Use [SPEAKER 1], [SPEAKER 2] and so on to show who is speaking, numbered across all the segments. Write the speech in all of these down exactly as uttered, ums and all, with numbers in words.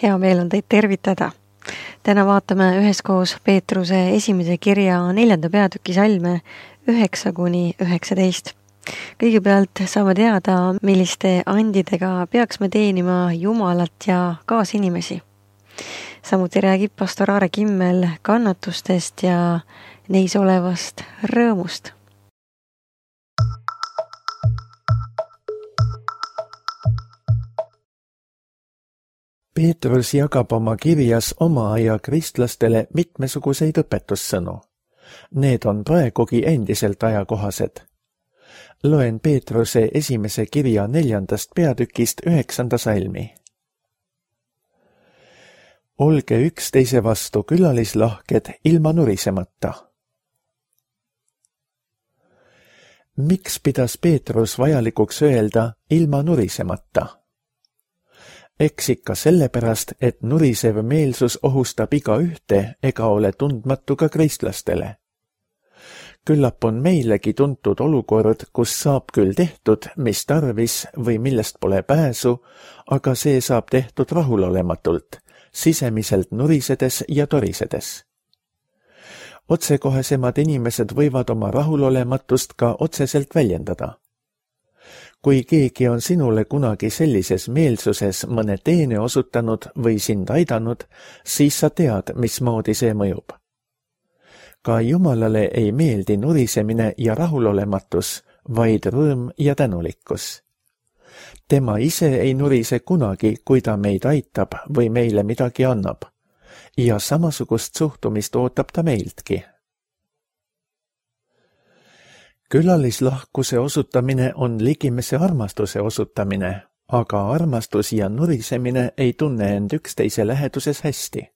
[SPEAKER 1] Hea meel on teid tervitada. Täna vaatame üheskoos Peetruse esimese kirja neljanda peatüki salme üheksa kuni üheksateist. Kõigepealt saame teada, milliste andidega peaks me teenima Jumalat ja kaasinimesi. Samuti räägib pastor Aare Kimmel kannatustest ja neis olevast rõõmust.
[SPEAKER 2] Peetrus jagab oma kirjas oma aja kristlastele mitmesuguseid õpetussõnu. Need on praegugi endiselt ajakohased. Loen Peetruse esimese kirja neljandast peatükist üheksanda salmi. Olge üksteise vastu külalislahked ilma nurisemata. Miks pidas Peetrus vajalikuks öelda ilma nurisemata? Eks ikka sellepärast, et nurisev meelsus ohustab iga ühte ega ole tundmatu ka kristlastele. Küllap on meilegi tuntud olukord, kus saab küll tehtud, mis tarvis või millest pole pääsu, aga see saab tehtud rahulolematult, sisemiselt nurisedes ja torisedes. Otsekohesemad inimesed võivad oma rahulolematust ka otseselt väljendada. Kui keegi on sinule kunagi sellises meelsuses mõne teene osutanud või sind aidanud, siis sa tead, mismoodi see mõjub. Ka Jumalale ei meeldi nurisemine ja rahulolematus, vaid rõõm ja tänulikkus. Tema ise ei nurise kunagi, kui ta meid aitab või meile midagi annab. Ja samasugust suhtumist ootab ta meiltki. Külalislahkuse osutamine on ligimese armastuse osutamine, aga armastus ja nurisemine ei tunne end üksteise läheduses hästi.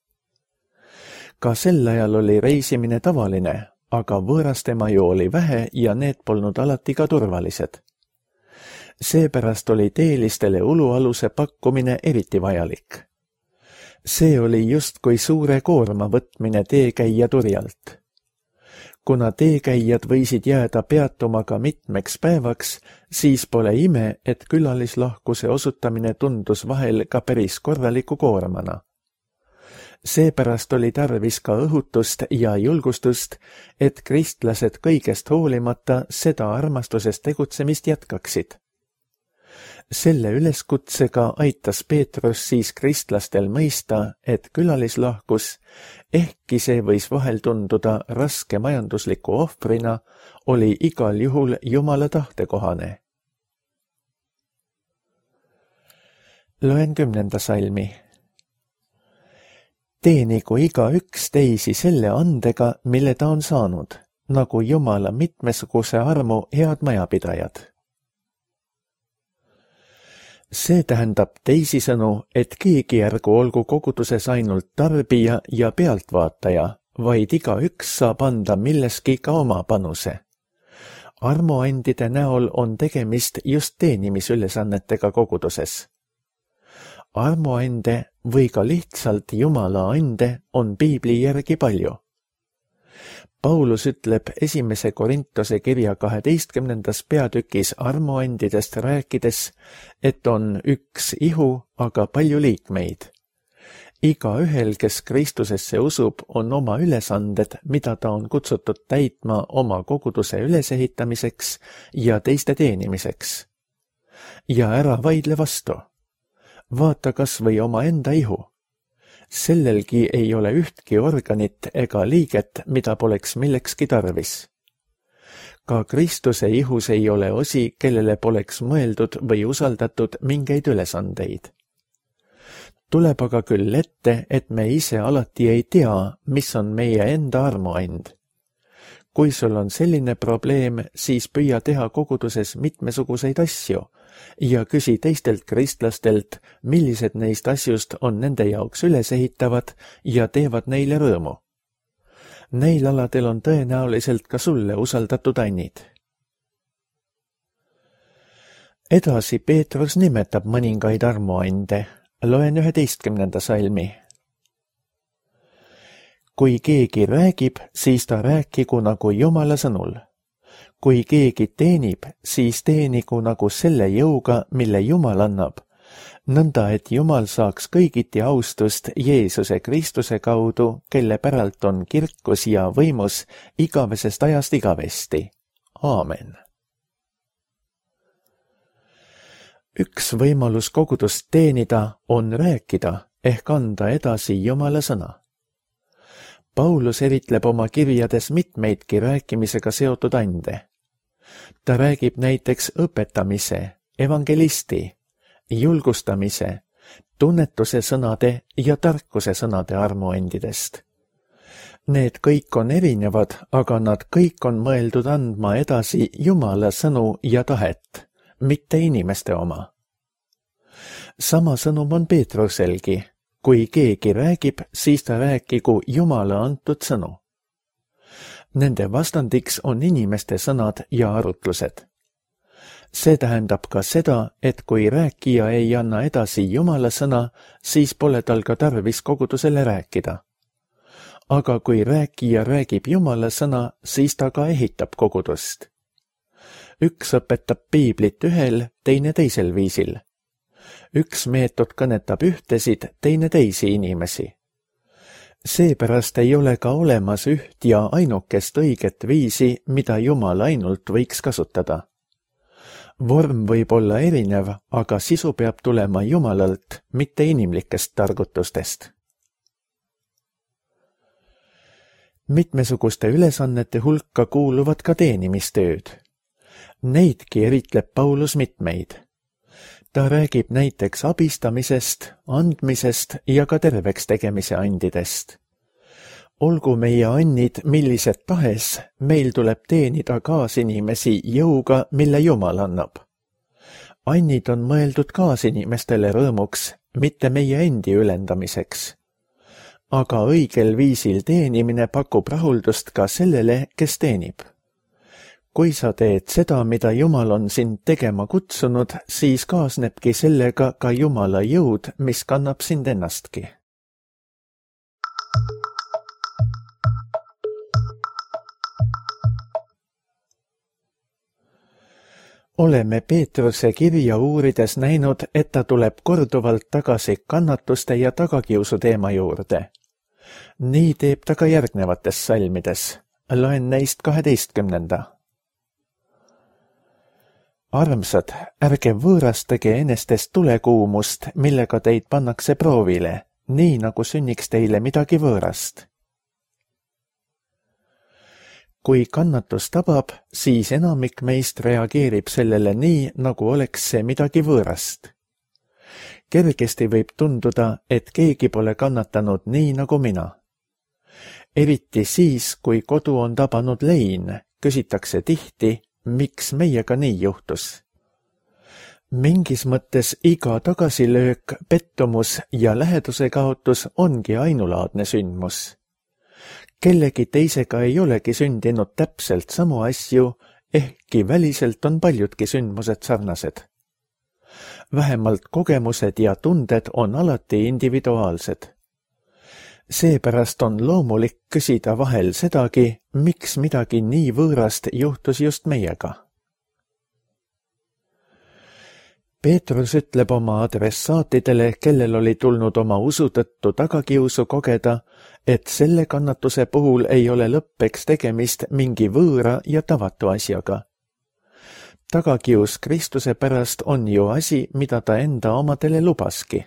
[SPEAKER 2] Ka sel ajal oli reisimine tavaline, aga võõrastemaju oli vähe ja need polnud alati ka turvalised. Seepärast oli teelistele ulualuse pakkumine eriti vajalik. See oli justkui suure koorma võtmine teekäija turjalt. Kuna teekäijad võisid jääda peatuma ka mitmeks päevaks, siis pole ime, et külalislahkuse osutamine tundus vahel ka päris korraliku koormana. Seepärast oli tarvis ka õhutust ja julgustust, et kristlased kõigest hoolimata seda armastusest tegutsemist jätkaksid. Selle üleskutsega aitas Peetrus siis kristlastel mõista, et külalislahkus, ehkki see võis vahel tunduda raske majandusliku ohvrina, oli igal juhul Jumala tahtekohane. Loen kümnenda salmi. Teenigu iga üks teisi selle andega, mille ta on saanud, nagu Jumala mitmesuguse armu head majapidajad. See tähendab teisisõnu, et keegi ärgu olgu koguduses ainult tarbija ja pealtvaataja, vaid iga üks saab anda milleski ka oma panuse. Armuandide näol on tegemist just teenimisülesannetega koguduses. Armuande või ka lihtsalt Jumala ande on Piibli järgi palju. Paulus ütleb esimese Korintuse kirja kaheteistkümnendas peatükis armuandidest rääkides, et on üks ihu, aga palju liikmeid. Iga ühel, kes Kristusesse usub, on oma ülesanded, mida ta on kutsutud täitma oma koguduse ülesehitamiseks ja teiste teenimiseks. Ja ära vaidle vastu. Vaata kas või oma enda ihu. Sellelgi ei ole ühtki organit ega liiget, mida poleks millekski tarvis. Ka Kristuse ihus ei ole osi, kellele poleks mõeldud või usaldatud mingeid ülesandeid. Tuleb aga küll ette, et me ise alati ei tea, mis on meie enda armuand. Kui sul on selline probleem, siis püüa teha koguduses mitmesuguseid asju ja küsi teistelt kristlastelt, millised neist asjust on nende jaoks ülesehitavad ja teevad neile rõõmu. Neil aladel on tõenäoliselt ka sulle usaldatud annid. Edasi Peetrus nimetab mõningaid armuande. Loen üheteistkümnenda salmi. Kui keegi räägib, siis ta rääkigu nagu Jumala sõnul. Kui keegi teenib, siis teenigu nagu selle jõuga, mille Jumal annab, nõnda et Jumal saaks kõigiti austust Jeesuse Kristuse kaudu, kelle päralt on kirkus ja võimus igavesest ajast igavesti. Aamen. Üks võimalus kogudust teenida on rääkida ehk anda edasi Jumala sõna. Paulus eritleb oma kirjades mitmeidki rääkimisega seotud ande. Ta räägib näiteks õpetamise, evangelisti, julgustamise, tunnetuse sõnade ja tarkuse sõnade armuandidest. Need kõik on erinevad, aga nad kõik on mõeldud andma edasi Jumala sõnu ja tahet, mitte inimeste oma. Sama sõnum on Peetruselgi. Kui keegi räägib, siis ta rääkigu Jumala antud sõnu. Nende vastandiks on inimeste sõnad ja arutlused. See tähendab ka seda, et kui rääkija ei anna edasi Jumala sõna, siis pole tal ka tarvis kogudusele rääkida. Aga kui rääkija räägib Jumala sõna, siis ta ka ehitab kogudust. Üks õpetab piiblit ühel, teine teisel viisil. Üks meetod kõnetab ühtesid, teine teisi inimesi. Seepärast ei ole ka olemas üht ja ainukest õiget viisi, mida Jumal ainult võiks kasutada. Vorm võib olla erinev, aga sisu peab tulema Jumalalt, mitte inimlikest targutustest. Mitmesuguste ülesannete hulka kuuluvad ka teenimistööd. Neidki eritleb Paulus mitmeid. Ta räägib näiteks abistamisest, andmisest ja ka terveks tegemise andidest. Olgu meie annid millised tahes, meil tuleb teenida kaasinimesi jõuga, mille Jumal annab. Annid on mõeldud kaasinimestele rõõmuks, mitte meie endi ülendamiseks. Aga õigel viisil teenimine pakub rahuldust ka sellele, kes teenib. Kui sa teed seda, mida Jumal on sind tegema kutsunud, siis kaasnebki sellega ka Jumala jõud, mis kannab sind ennastki. Oleme Peetruse kirja uurides näinud, et ta tuleb korduvalt tagasi kannatuste ja tagakiusu teema juurde. Nii teeb ta ka järgnevates salmides. Loen neist kaheteistkümnenda. Armsad, ärge võõrastage enestest tulekuumust, millega teid pannakse proovile, nii nagu sünniks teile midagi võõrast. Kui kannatus tabab, siis enamik meist reageerib sellele nii, nagu oleks see midagi võõrast. Kergesti võib tunduda, et keegi pole kannatanud nii nagu mina. Eriti siis, kui kodu on tabanud lein, küsitakse tihti, miks meiega nii juhtus. Mingis mõttes iga tagasilöök, pettumus ja läheduse kaotus ongi ainulaadne sündmus. Kellegi teisega ei olegi sündinud täpselt samu asju, ehkki väliselt on paljudki sündmused sarnased. Vähemalt kogemused ja tunded on alati individuaalsed. Seepärast on loomulik küsida vahel sedagi, miks midagi nii võõrast juhtus just meiega. Peetrus ütleb oma adressaatidele, kellel oli tulnud oma usu tõttu tagakiusu kogeda, et selle kannatuse puhul ei ole lõppeks tegemist mingi võõra ja tavatu asjaga. Tagakius Kristuse pärast on ju asi, mida ta enda omadele lubaski.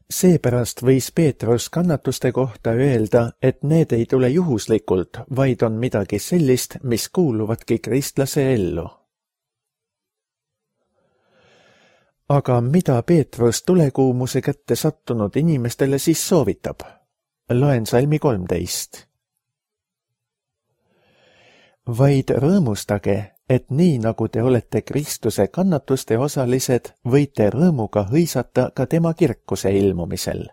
[SPEAKER 2] Seepärast võis Peetrus kannatuste kohta öelda, et need ei tule juhuslikult, vaid on midagi sellist, mis kuuluvadki kristlase ellu. Aga mida Peetrus tulekuumuse kätte sattunud inimestele siis soovitab? Loen salmi kolmteist. Vaid rõõmustage, et nii nagu te olete Kristuse kannatuste osalised, võite rõõmuga hõisata ka tema kirkuse ilmumisel.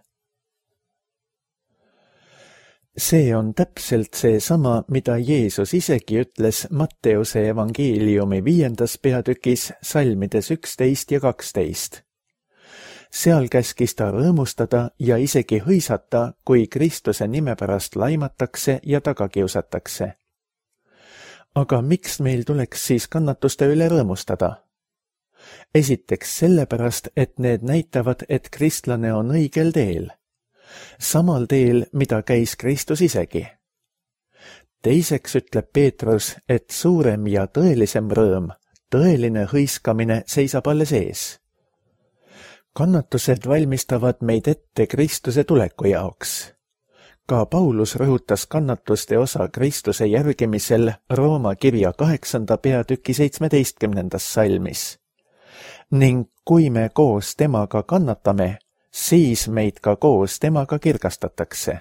[SPEAKER 2] See on täpselt see sama, mida Jeesus isegi ütles Matteuse evangeeliumi viiendas peatükis salmides üksteist ja kaksteist. Seal käskis ta rõõmustada ja isegi hõisata, kui Kristuse nime pärast laimatakse ja tagakiusatakse. Aga miks meil tuleks siis kannatuste üle rõõmustada? Esiteks sellepärast, et need näitavad, et kristlane on õigel teel. Samal teel, mida käis Kristus isegi. Teiseks ütleb Peetrus, et suurem ja tõelisem rõõm, tõeline hõiskamine seisab alles ees. Kannatused valmistavad meid ette Kristuse tuleku jaoks. Ka Paulus rõhutas kannatuste osa Kristuse järgimisel Rooma kirja kaheksanda peatüki seitsmeteistkümnendas salmis. Ning kui me koos temaga kannatame, siis meid ka koos temaga kirgastatakse.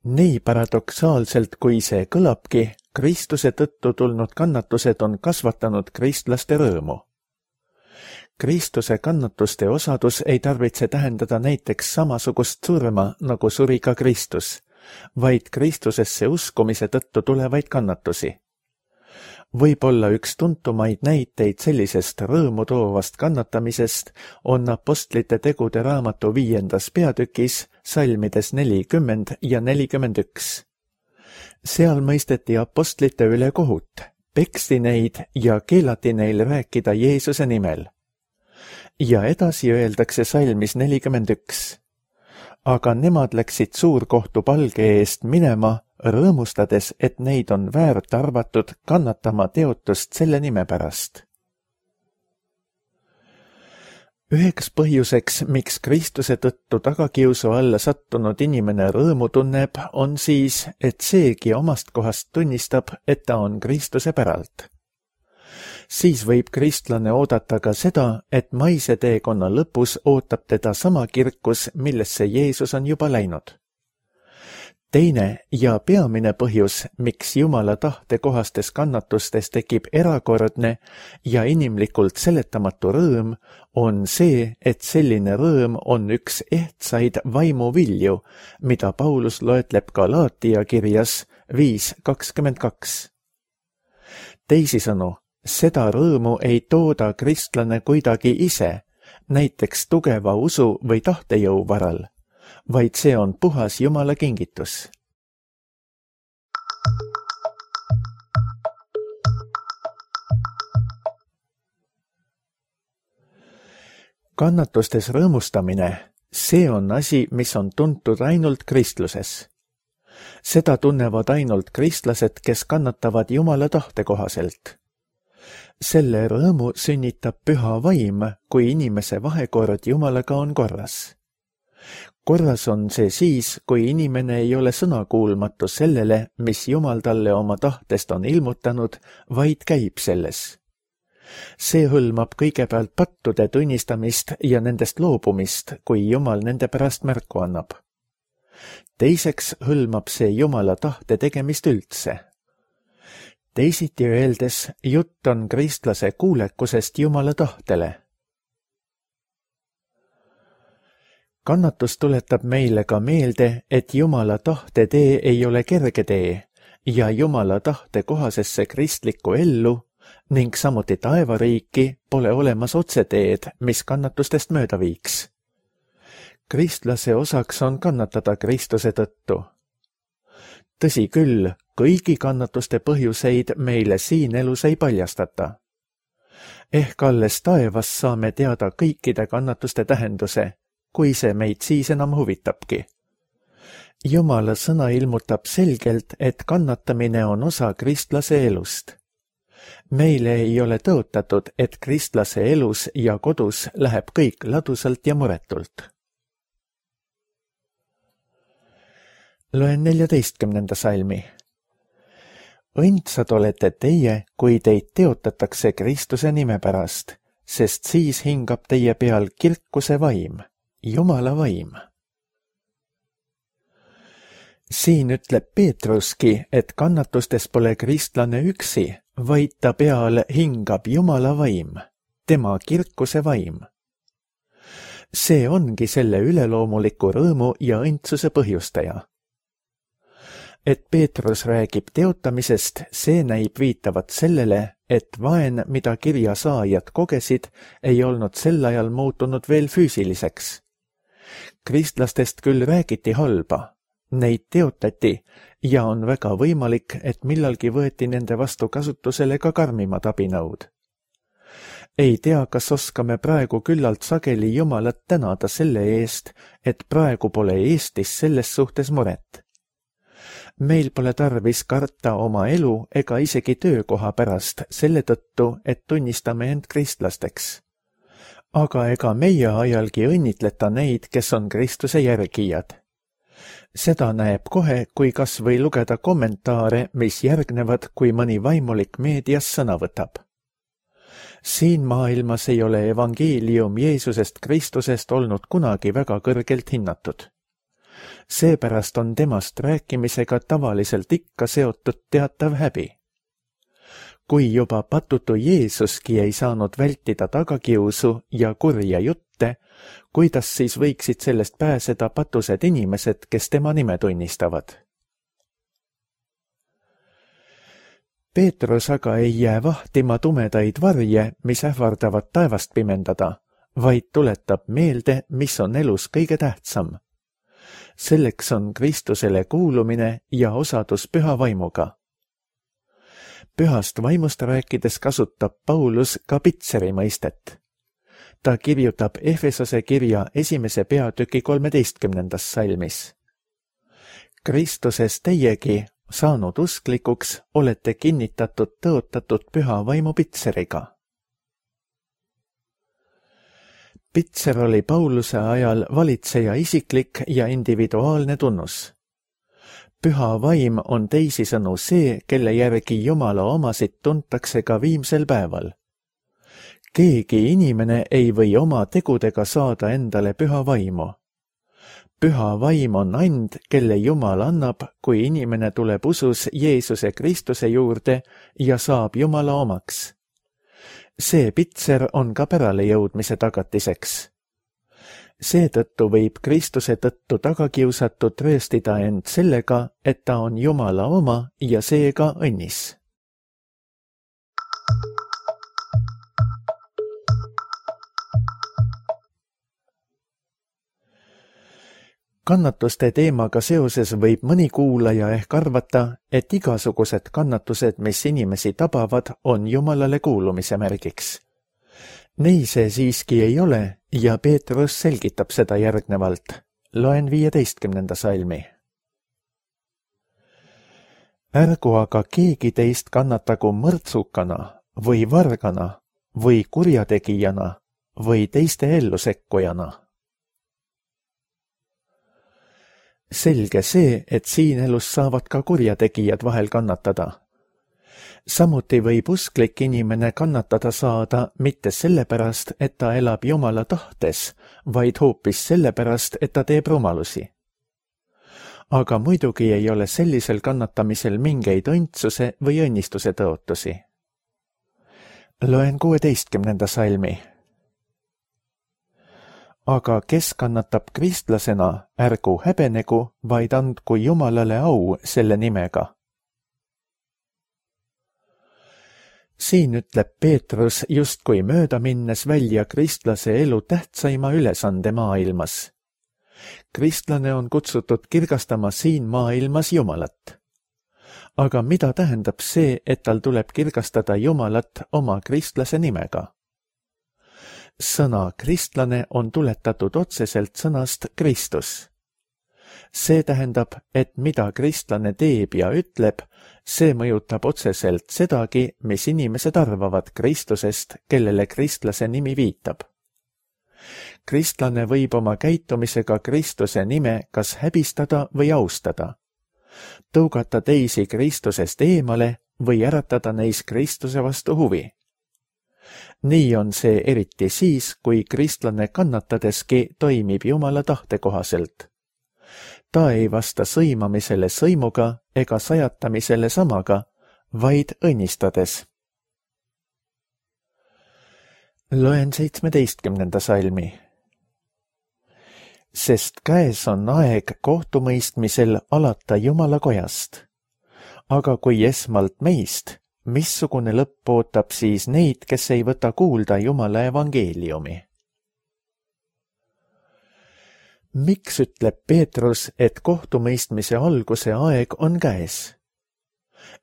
[SPEAKER 2] Nii paradoksaalselt, kui see kõlabki, Kristuse tõttu tulnud kannatused on kasvatanud kristlaste rõõmu. Kristuse kannatuste osadus ei tarvitse tähendada näiteks samasugust surma, nagu suri ka Kristus, vaid Kristusesse uskumise tõttu tulevaid kannatusi. Võib-olla üks tuntumaid näiteid sellisest rõõmu toovast kannatamisest on apostlite tegude raamatu viiendas peatükis salmides nelikümmend ja nelikümmend üks. Seal mõisteti apostlite üle kohut, peksti neid ja keelati neil rääkida Jeesuse nimel. Ja edasi öeldakse salmis nelikümmend üks. Aga nemad läksid suurkohtu palge eest minema, rõõmustades, et neid on väärt arvatud kannatama teotust selle nime pärast. Üheks põhjuseks, miks Kristuse tõttu tagakiusu alla sattunud inimene rõõmu tunneb, on siis, et seegi omast kohast tunnistab, et ta on Kristuse päralt. Siis võib kristlane oodata ka seda, et maise teekonna lõpus ootab teda sama kirkus, millesse Jeesus on juba läinud. Teine ja peamine põhjus, miks Jumala tahte kohastes kannatustes tekib erakordne ja inimlikult seletamatu rõõm, on see, et selline rõõm on üks ehtsaid vaimuvilju, mida Paulus loetleb Galaatia kirjas viis kakskümmend kaks. Teisisõnu, seda rõõmu ei tooda kristlane kuidagi ise, näiteks tugeva usu või tahtejõu varal, vaid see on puhas Jumala kingitus. Kannatustes rõõmustamine, see on asi, mis on tuntud ainult kristluses. Seda tunnevad ainult kristlased, kes kannatavad Jumala tahte kohaselt. Selle rõõmu sünnitab püha vaim, kui inimese vahekord Jumalaga on korras. Korras on see siis, kui inimene ei ole sõnakuulmatu sellele, mis Jumal talle oma tahtest on ilmutanud, vaid käib selles. See hõlmab kõigepealt pattude tunnistamist ja nendest loobumist, kui Jumal nende pärast märku annab. Teiseks hõlmab see Jumala tahte tegemist üldse. Teisiti öeldes, jutt on kristlase kuulekusest Jumala tahtele. Kannatus tuletab meile ka meelde, et Jumala tahte tee ei ole kerge tee ja Jumala tahte kohasesse kristlikku ellu ning samuti taevariiki pole olemas otseteed, mis kannatustest mööda viiks. Kristlase osaks on kannatada Kristuse tõttu. Tõsi küll, kõigi kannatuste põhjuseid meile siin elus ei paljastata. Ehk alles taevas saame teada kõikide kannatuste tähenduse, kui see meid siis enam huvitabki. Jumala sõna ilmutab selgelt, et kannatamine on osa kristlase elust. Meile ei ole tõotatud, et kristlase elus ja kodus läheb kõik ladusalt ja muretult. Loen neljateistkümnenda salmi. Õndsad olete teie, kui teid teotatakse Kristuse nime pärast, sest siis hingab teie peal kirkuse vaim, Jumala vaim. Siin ütleb Peetruski, et kannatustes pole kristlane üksi, vaid ta peal hingab Jumala vaim, tema kirkuse vaim. See ongi selle üleloomuliku rõõmu ja õndsuse põhjustaja. Et Peetrus räägib teotamisest, see näib viitavat sellele, et vaen, mida kirja saajad kogesid, ei olnud sel ajal muutunud veel füüsiliseks. Kristlastest küll räägiti halba, Neid teotati ja on väga võimalik, et millalgi võeti nende vastu kasutusele ka karmimad abinõud. Ei tea, kas oskame praegu küllalt sageli Jumalat tänada selle eest, et praegu pole Eestis selles suhtes muret. Meil pole tarvis karta oma elu ega isegi töökoha pärast selle tõttu, et tunnistame end kristlasteks. Aga ega meie ajalgi õnnitleta neid, kes on Kristuse järgijad. Seda näeb kohe, kui kas või lugeda kommentaare, mis järgnevad, kui mõni vaimulik meedias sõna võtab. Siin maailmas ei ole evangeelium Jeesusest Kristusest olnud kunagi väga kõrgelt hinnatud. Seepärast on temast rääkimisega tavaliselt ikka seotud teatav häbi. Kui juba patutu Jeesuski ei saanud vältida tagakiusu ja kurja jutte, kuidas siis võiksid sellest pääseda patused inimesed, kes tema nime tunnistavad? Peetrus aga ei jää vahtima tumedaid varje, mis ähvardavad taevast pimendada, vaid tuletab meelde, mis on elus kõige tähtsam. Selleks on Kristusele kuulumine ja osadus püha vaimuga. Pühast vaimust rääkides kasutab Paulus ka pitseri mõistet. Ta kirjutab Efesose kirja esimese peatüki kolmeteistkümnendas salmis. Kristuses teiegi, saanud usklikuks, olete kinnitatud tõotatud püha vaimu pitseriga. Pitser oli Pauluse ajal valitseja isiklik ja individuaalne tunnus. Püha vaim on teisisõnu see, kelle järgi Jumala omasid tuntakse ka viimsel päeval. Keegi inimene ei või oma tegudega saada endale püha vaimu. Püha vaim on and, kelle Jumal annab, kui inimene tuleb usus Jeesuse Kristuse juurde ja saab Jumala omaks. See pitser on ka pärale jõudmise tagatiseks. Seetõttu võib Kristuse tõttu tagakiusatud trööstida end sellega, et ta on Jumala oma ja seega õnnis. Kannatuste teemaga seoses võib mõni kuulaja ehk arvata, et igasugused kannatused, mis inimesi tabavad, on Jumalale kuulumise märgiks. Nii see siiski ei ole ja Peetrus selgitab seda järgnevalt. Loen viieteistkümnenda salmi. Ärgu aga keegi teist kannatagu mõrtsukana või vargana või kurjategijana või teiste ellu sekkujana. Selge see, et siin elus saavad ka kurjategijad vahel kannatada. Samuti võib usklik inimene kannatada saada mitte sellepärast, et ta elab Jumala tahtes, vaid hoopis sellepärast, et ta teeb rumalusi. Aga muidugi ei ole sellisel kannatamisel mingeid õndsuse või õnnistuse tõotusi. Loen kuueteistkümnenda salmi. Aga kes kannatab kristlasena, ärgu häbenegu, vaid andku Jumalale au selle nimega. Siin ütleb Peetrus justkui mööda minnes välja kristlase elu tähtsaima ülesande maailmas. Kristlane on kutsutud kirgastama siin maailmas Jumalat. Aga mida tähendab see, et tal tuleb kirgastada Jumalat oma kristlase nimega? Sõna kristlane on tuletatud otseselt sõnast Kristus. See tähendab, et mida kristlane teeb ja ütleb, see mõjutab otseselt sedagi, mis inimesed arvavad Kristusest, kellele kristlase nimi viitab. Kristlane võib oma käitumisega Kristuse nime kas häbistada või austada, tõugata teisi Kristusest eemale või äratada neis Kristuse vastu huvi. Nii on see eriti siis, kui kristlane kannatadeski toimib Jumala tahte kohaselt. Ta ei vasta sõimamisele sõimuga ega sajatamisele samaga, vaid õnnistades. Loen seitsmeteistkümnenda salmi. Sest käes on aeg kohtumõistmisel alata Jumala kojast. Aga kui esmalt meist, missugune lõpp ootab siis neid, kes ei võta kuulda Jumala evangeeliumi? Miks ütleb Peetrus, et kohtumõistmise alguse aeg on käes?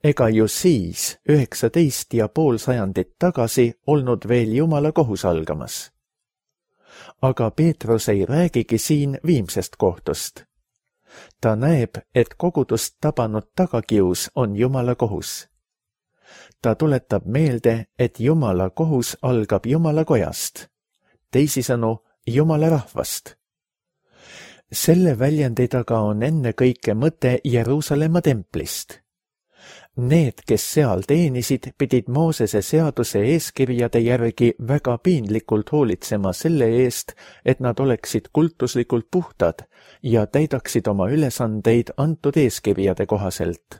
[SPEAKER 2] Ega ju siis, üheksateist ja pool sajandit tagasi, olnud veel Jumala kohus algamas. Aga Peetrus ei räägigi siin viimsest kohtust. Ta näeb, et kogudust tabanud tagakius on Jumala kohus. Ta tuletab meelde, et Jumala kohus algab Jumala kojast, teisisõnu Jumala rahvast. Selle väljendi taga on ennekõike mõte Jeruusalemma templist. Need, kes seal teenisid, pidid Moosese seaduse eeskirjade järgi väga piinlikult hoolitsema selle eest, et nad oleksid kultuslikult puhtad ja täidaksid oma ülesandeid antud eeskirjade kohaselt.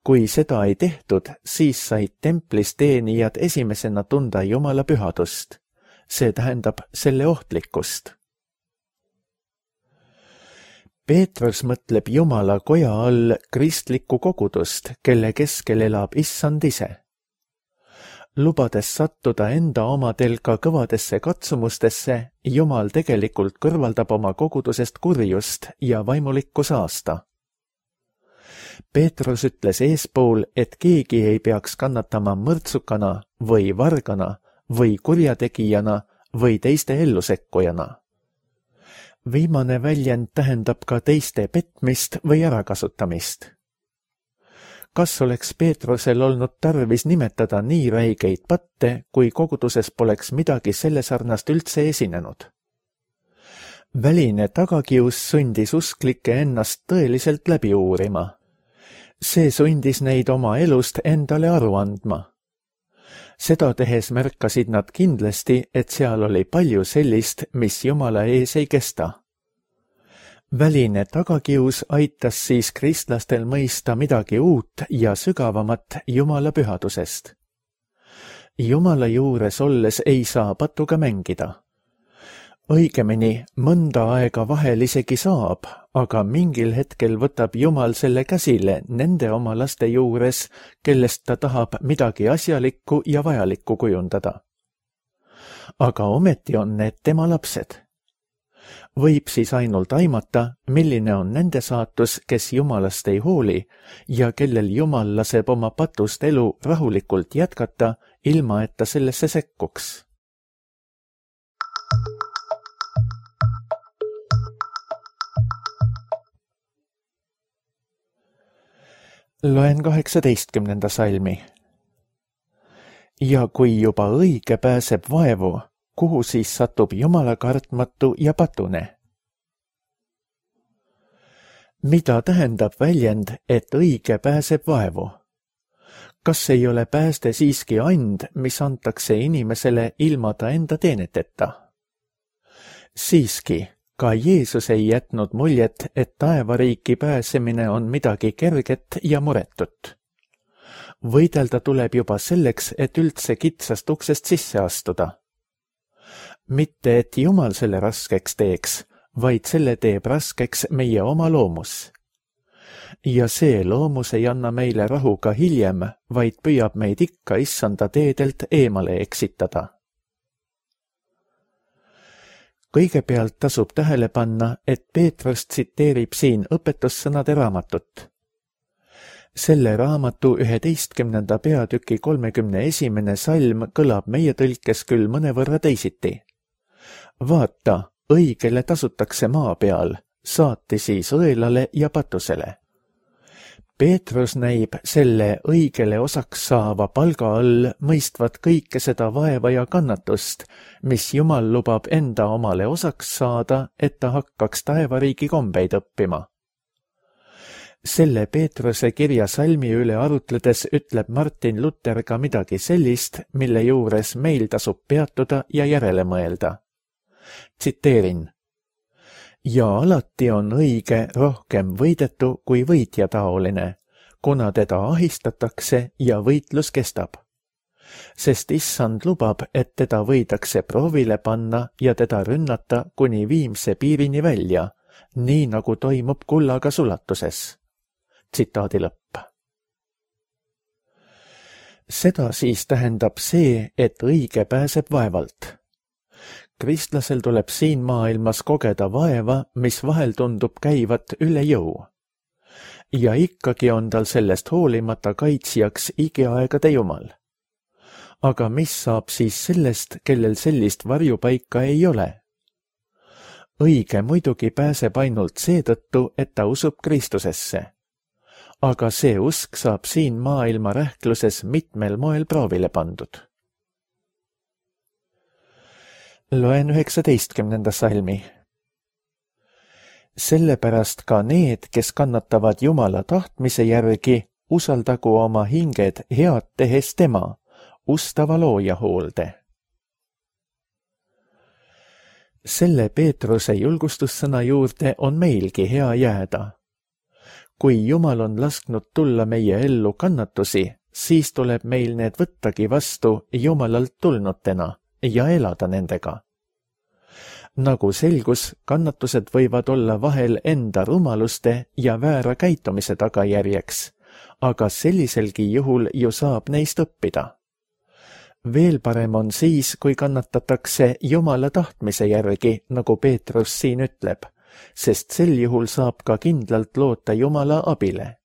[SPEAKER 2] Kui seda ei tehtud, siis said templis teenijad esimesena tunda Jumala pühadust. See tähendab selle ohtlikkust. Peetrus mõtleb Jumala koja all kristlikku kogudust, kelle keskel elab issand ise. Lubades sattuda enda omadel ka kõvadesse katsumustesse, Jumal tegelikult kõrvaldab oma kogudusest kurjust ja vaimulikku saasta. Peetrus ütles eespool, et keegi ei peaks kannatama mõrtsukana või vargana või kurjategijana või teiste ellusekkujana. Viimane väljend tähendab ka teiste petmist või ärakasutamist. Kas oleks Peetrusel olnud tarvis nimetada nii räigeid patte, kui koguduses poleks midagi selle sarnast üldse esinenud? Väline tagakius sundis usklikke ennast tõeliselt läbi uurima. See sundis neid oma elust endale aru andma. Seda tehes märkasid nad kindlasti, et seal oli palju sellist, mis Jumala ees ei kesta. Väline tagakius aitas siis kristlastel mõista midagi uut ja sügavamat Jumala pühadusest. Jumala juures olles ei saa patuga mängida. Õigemini, mõnda aega vahel isegi saab, aga mingil hetkel võtab Jumal selle käsile nende oma laste juures, kellest ta tahab midagi asjalikku ja vajalikku kujundada. Aga ometi on need tema lapsed. Võib siis ainult aimata, milline on nende saatus, kes Jumalast ei hooli ja kellel Jumal laseb oma patust elu rahulikult jätkata, ilma et ta sellesse sekkuks. Loen kaheksateistkümnenda salmi. Ja kui juba õige pääseb vaevu, kuhu siis satub Jumala kartmatu ja patune? Mida tähendab väljend, et õige pääseb vaevu? Kas ei ole pääste siiski and, mis antakse inimesele ilma ta enda teeneteta? Siiski, ka Jeesus ei jätnud muljet, et taevariiki pääsemine on midagi kerget ja muretut. Võidelda tuleb juba selleks, et üldse kitsast uksest sisse astuda. Mitte, et Jumal selle raskeks teeks, vaid selle teeb raskeks meie oma loomus. Ja see loomus ei anna meile rahu ka hiljem, vaid püüab meid ikka issanda teedelt eemale eksitada. Kõigepealt tasub tähele panna, et Peetrus tsiteerib siin õpetussõnade raamatut. Selle raamatu üheteistkümnenda peatüki kolmekümne esimene salm kõlab meie tõlkes küll mõnevõrra teisiti. Vaata, õigele tasutakse maa peal, saati siis õelale ja patusele. Peetrus näib selle õigele osaks saava palga all mõistvat kõike seda vaeva ja kannatust, mis Jumal lubab enda omale osaks saada, et ta hakkaks taevariigi kombeid õppima. Selle Peetruse kirja salmi üle arutledes ütleb Martin Luther ka midagi sellist, mille juures meil tasub peatuda ja järele mõelda. Tsiteerin. Ja alati on õige rohkem võidetu kui võitjataoline, kuna teda ahistatakse ja võitlus kestab. Sest issand lubab, et teda võidakse proovile panna ja teda rünnata kuni viimse piirini välja, nii nagu toimub kullaga sulatuses. Tsitaadi lõpp. Seda siis tähendab see, et õige pääseb vaevalt. kristlasel tuleb siin maailmas kogeda vaeva, mis vahel tundub käivat üle jõu. Ja ikkagi on tal sellest hoolimata kaitsjaks igiaegade Jumal. Aga mis saab siis sellest, kellel sellist varjupaika ei ole? Õige muidugi pääseb ainult seetõttu, et ta usub Kristusesse. Aga see usk saab siin maailma rähkluses mitmel moel proovile pandud. Loen üheksateistkümnenda salmi. Sellepärast ka need, kes kannatavad Jumala tahtmise järgi, usaldagu oma hinged head tehes tema, ustava looja hoolde. Selle Peetruse julgustussõna juurde on meilgi hea jääda. Kui Jumal on lasknud tulla meie ellu kannatusi, siis tuleb meil need võttagi vastu Jumalalt tulnutena ja elada nendega. Nagu selgus, kannatused võivad olla vahel enda rumaluste ja väära käitumise tagajärjeks, aga selliselgi juhul ju saab neist õppida. Veel parem on siis, kui kannatatakse Jumala tahtmise järgi, nagu Peetrus siin ütleb, sest sel juhul saab ka kindlalt loota Jumala abile.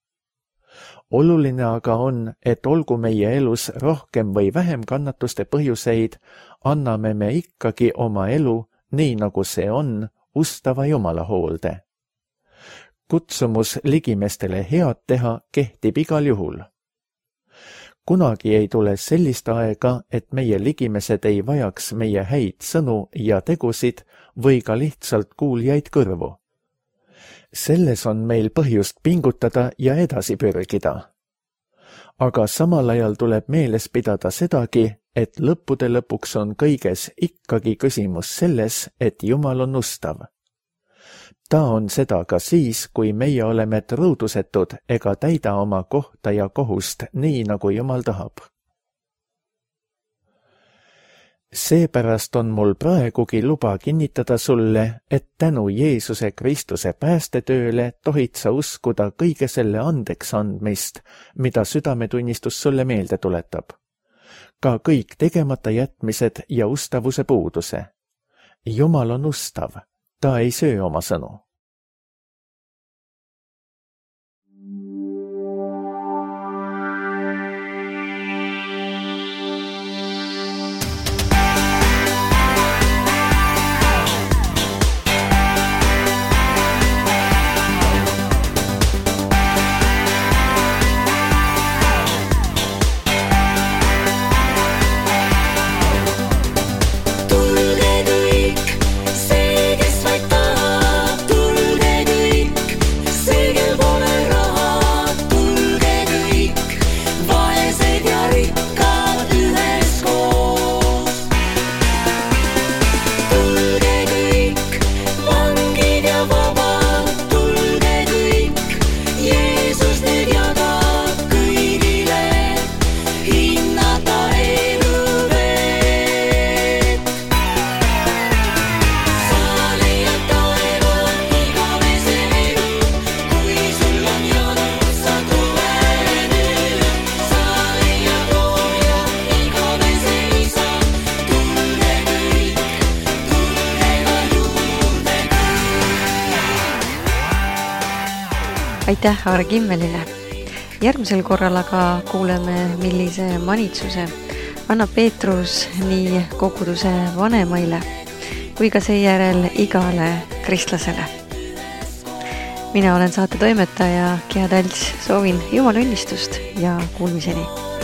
[SPEAKER 2] Oluline aga on, et olgu meie elus rohkem või vähem kannatuste põhjuseid, anname me ikkagi oma elu, nii nagu see on, ustava Jumala hoolde. Kutsumus ligimestele head teha kehtib igal juhul. Kunagi ei tule sellist aega, et meie ligimesed ei vajaks meie häid sõnu ja tegusid või ka lihtsalt kuuljaid kõrvu. Selles on meil põhjust pingutada ja edasi pürgida. Aga samal ajal tuleb meeles pidada sedagi, et lõppude lõpuks on kõiges ikkagi küsimus selles, et Jumal on ustav. Ta on seda ka siis, kui meie oleme truudusetud ega täida oma kohta ja kohust nii, nagu Jumal tahab. Seepärast on mul praegugi luba kinnitada sulle, et tänu Jeesuse Kristuse päästetööle tohid sa uskuda kõige selle andeks andmist, mida südametunnistus sulle meelde tuletab. Ka kõik tegemata jätmised ja ustavuse puuduse. Jumal on ustav. Ta ei söö oma sõnu.
[SPEAKER 1] Aitäh Aare Kimmelile. Järgmisel korral aga kuuleme, millise manitsuse annab Peetrus nii koguduse vanemaile kui ka seejärel igale kristlasele. Mina olen saate toimetaja Gea Talts, soovin Jumala õnnistust ja kuulmiseni.